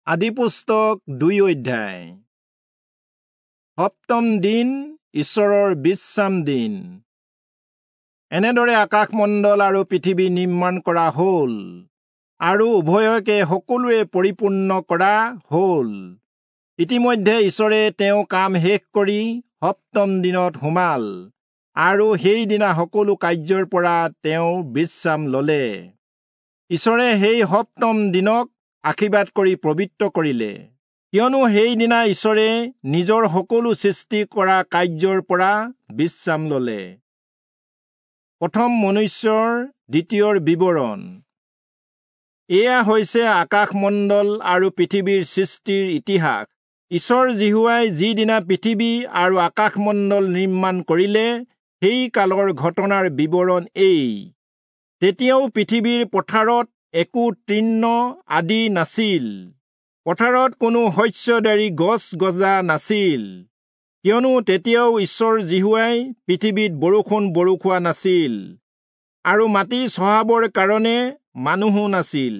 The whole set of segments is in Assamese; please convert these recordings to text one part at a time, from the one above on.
আদিপুস্তক 2 অধ্যায়। সপ্তম দিন ঈশ্বৰৰ বিশ্ৰাম দিন। এনেদৰে আকাশমণ্ডল আৰু পৃথিৱী নিৰ্মাণ কৰা হ'ল আৰু উভয়কে সকলোৱে পৰিপূৰ্ণ কৰা হ'ল। ইতিমধ্যে ঈশ্বৰে তেওঁ কাম শেষ কৰি সপ্তম দিনত সোমাল আৰু সেইদিনা সকলো কাৰ্যৰ পৰা তেওঁ বিশ্ৰাম ল'লে। ঈশ্বৰে সেই সপ্তম দিনক আশীৰ্বাদ কৰি পবিত্ৰ কৰিলে, কিয়নো সেইদিনা ঈশ্বৰে নিজৰ সকলো সৃষ্টি কৰা কাৰ্যৰ পৰা বিশ্ৰাম ল'লে। প্ৰথম মনুষ্যৰ দ্বিতীয়ৰ বিৱৰণ। এয়া হৈছে আকাশমণ্ডল আৰু পৃথিৱীৰ সৃষ্টিৰ ইতিহাস। ঈশ্বৰ যিহোৱাই যিদিনা পৃথিৱী আৰু আকাশমণ্ডল নিৰ্মাণ কৰিলে, সেই কালৰ ঘটনাৰ বিৱৰণ এই। তেতিয়াও পৃথিৱীৰ পথাৰত একো তৃণ আদি নাছিল, পথাৰত কোনো শস্যদাৰী গছ গজা নাছিল, কিয়নো তেতিয়াও ঈশ্বৰ যিহোৱাই পৃথিৱীত বৰষুণ বৰষুৱা নাছিল আৰু মাটি চহাবৰ কাৰণে মানুহো নাছিল।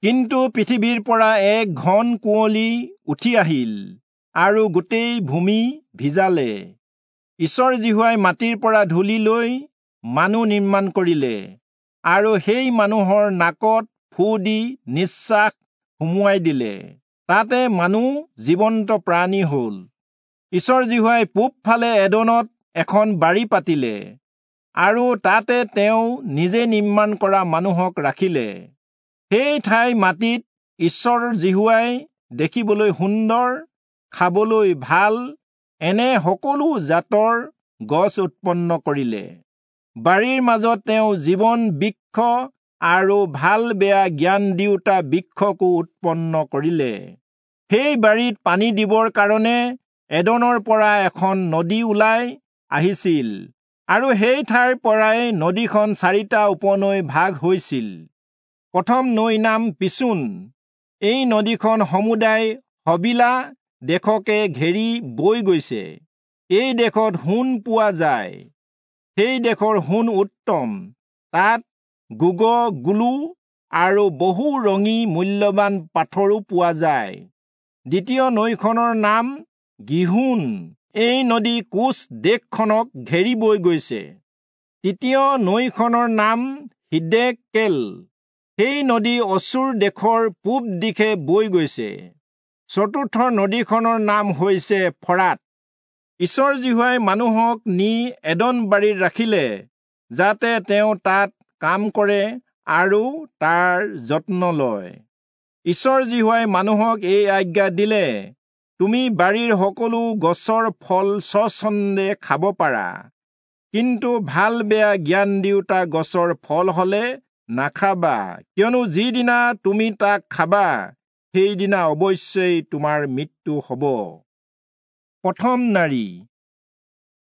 কিন্তু পৃথিৱীৰ পৰা এক ঘন কুঁৱলী উঠি আহিল আৰু গোটেই ভূমি ভিজালে। ঈশ্বৰ যিহোৱাই মাটিৰ পৰা ধূলি লৈ মানুহ নিৰ্মাণ কৰিলে আৰু সেই মানুহৰ নাকত ফু দি নিশ্বাস সুমুৱাই দিলে, তাতে মানুহ জীৱন্ত প্ৰাণী হ'ল। ঈশ্বৰ যিহোৱাই পূবফালে এদনত এখন বাৰী পাতিলে আৰু তাতে তেওঁ নিজে নিৰ্মাণ কৰা মানুহক ৰাখিলে। সেই ঠাই মাটিত ঈশ্বৰ যিহোৱাই দেখিবলৈ সুন্দৰ, খাবলৈ ভাল এনে সকলো জাতৰ গছ উৎপন্ন কৰিলে। বাৰীৰ মাজত তেওঁ জীৱন বৃক্ষ আৰু ভাল বেয়া জ্ঞান দিওঁতা বৃক্ষকো উৎপন্ন কৰিলে। সেই বাৰীত পানী দিবৰ কাৰণে এদনৰ পৰা এখন নদী ওলাই আহিছিল আৰু সেই ঠাইৰ পৰাই নদীখন 4টা উপনৈ ভাগ হৈছিল। প্ৰথম নৈ নাম পিচোন। এই নদীখন সমুদায় হবিলা দেশকে ঘেৰি বৈ গৈছে। এই দেশত সোণ পোৱা যায়। সেই দেশৰ সোণ উত্তম। তাত গুগগুলু আৰু বহু ৰঙী মূল্যৱান পাথৰো পোৱা যায়। দ্বিতীয় নৈখনৰ নাম গিহোন। এই নদী কোচ দেশখনক ঘেৰি বৈ গৈছে। তৃতীয় নৈখনৰ নাম হিদেকেল। সেই নদী অচুৰ দেশৰ পূব দিশে বৈ গৈছে। চতুৰ্থ নদীখনৰ নাম হৈছে ফৰাত। ঈশ্বৰ যিহোৱাই মানুহক নি এদন বাৰীত ৰাখিলে, যাতে তেওঁ তাত কাম কৰে আৰু তাৰ যত্ন লয়। ঈশ্বৰ যিহোৱাই মানুহক এই আজ্ঞা দিলে, তুমি বাৰীৰ সকলো গছৰ ফল স্বচ্ছন্দে খাব পাৰা, কিন্তু ভাল বেয়া জ্ঞান দিওঁতা গছৰ ফল হলে নাখাবা, কিয়নো যিদিনা তুমি তাক খাবা সেইদিনা অৱশ্যেই তোমাৰ মৃত্যু হ'ব। প্ৰথম নাৰী।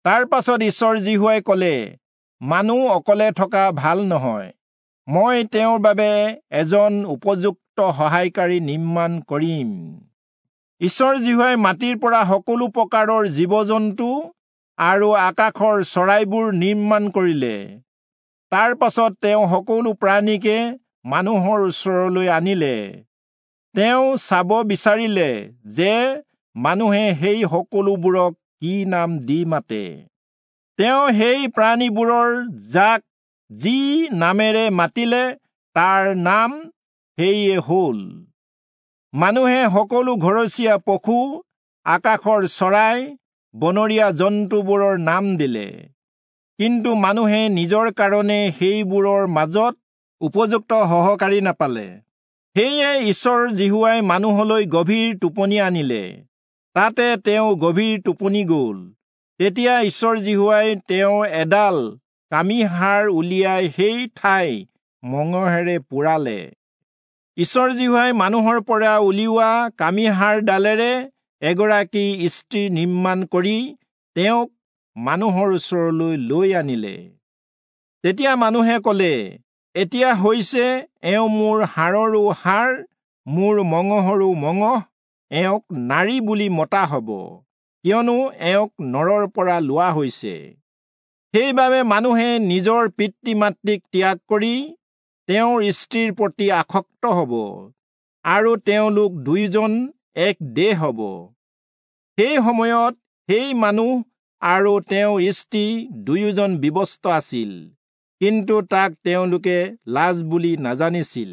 তাৰ পাছত ঈশ্বৰ যিহোৱাই ক'লে, মানুহ অকলে থকা ভাল নহয়, মই তেওঁৰ বাবে এজন উপযুক্ত সহায়কাৰী নিৰ্মাণ কৰিম। ঈশ্বৰ যিহোৱাই মাটিৰ পৰা সকলো প্ৰকাৰৰ জীৱ-জন্তু আৰু আকাশৰ চৰাইবোৰ নিৰ্মাণ কৰিলে। তাৰ পাছত তেওঁ সকলো প্ৰাণীকে মানুহৰ ওচৰলৈ আনিলে। তেওঁ চাব বিচাৰিলে যে মানুহে সেই সকলোবোৰক কি নাম দি মাতে। তেওঁ সেই প্ৰাণীবোৰৰ যাক যি নামেৰে মাতিলে তাৰ নাম সেয়ে হ'ল। মানুহে সকলো ঘৰচীয়া পশু, আকাশৰ চৰাই, বনৰীয়া জন্তুবোৰৰ নাম দিলে। কিন্তু মানুহে নিজৰ কাৰণে সেইবোৰৰ মাজত উপযুক্ত সহকাৰী নাপালে। সেয়ে ঈশ্বৰ যিহোৱাই মানুহলৈ গভীৰ টোপনি আনিলে, তাতে তেওঁ গভীৰ টোপনি গ'ল। তেতিয়া ঈশ্বৰ যিহোৱাই তেওঁ এডাল কামিহাড় উলিয়াই সেই ঠাই মঙহেৰে পোৰালে। ঈশ্বৰ যিহোৱাই মানুহৰ পৰা উলিওৱা কামিহাড়ডালেৰে এগৰাকী স্ত্ৰী নিৰ্মাণ কৰি তেওঁক মানুহৰ ওচৰলৈ লৈ আনিলে। তেতিয়া মানুহে ক'লে, এতিয়া হৈছে এওঁ মোৰ হাড়ৰো হাড়, মোৰ মঙহৰো মঙহ, এওঁক নাৰী বুলি মতা হ'ব, কিয়নো এওঁক নৰৰ পৰা লোৱা হৈছে। সেইবাবে মানুহে নিজৰ পিতৃ মাতৃক ত্যাগ কৰি তেওঁৰ স্ত্ৰীৰ প্ৰতি আসক্ত হ'ব। আৰু তেওঁলোক দুয়োজন এক দেহ হ'ব। সেই সময়ত সেই মানুহ আৰু তেওঁৰ স্ত্ৰী দুয়োজন বিৱস্ত্ৰ আছিল, কিন্তু তাক তেওঁলোকে লাজ বুলি নাজানিছিল।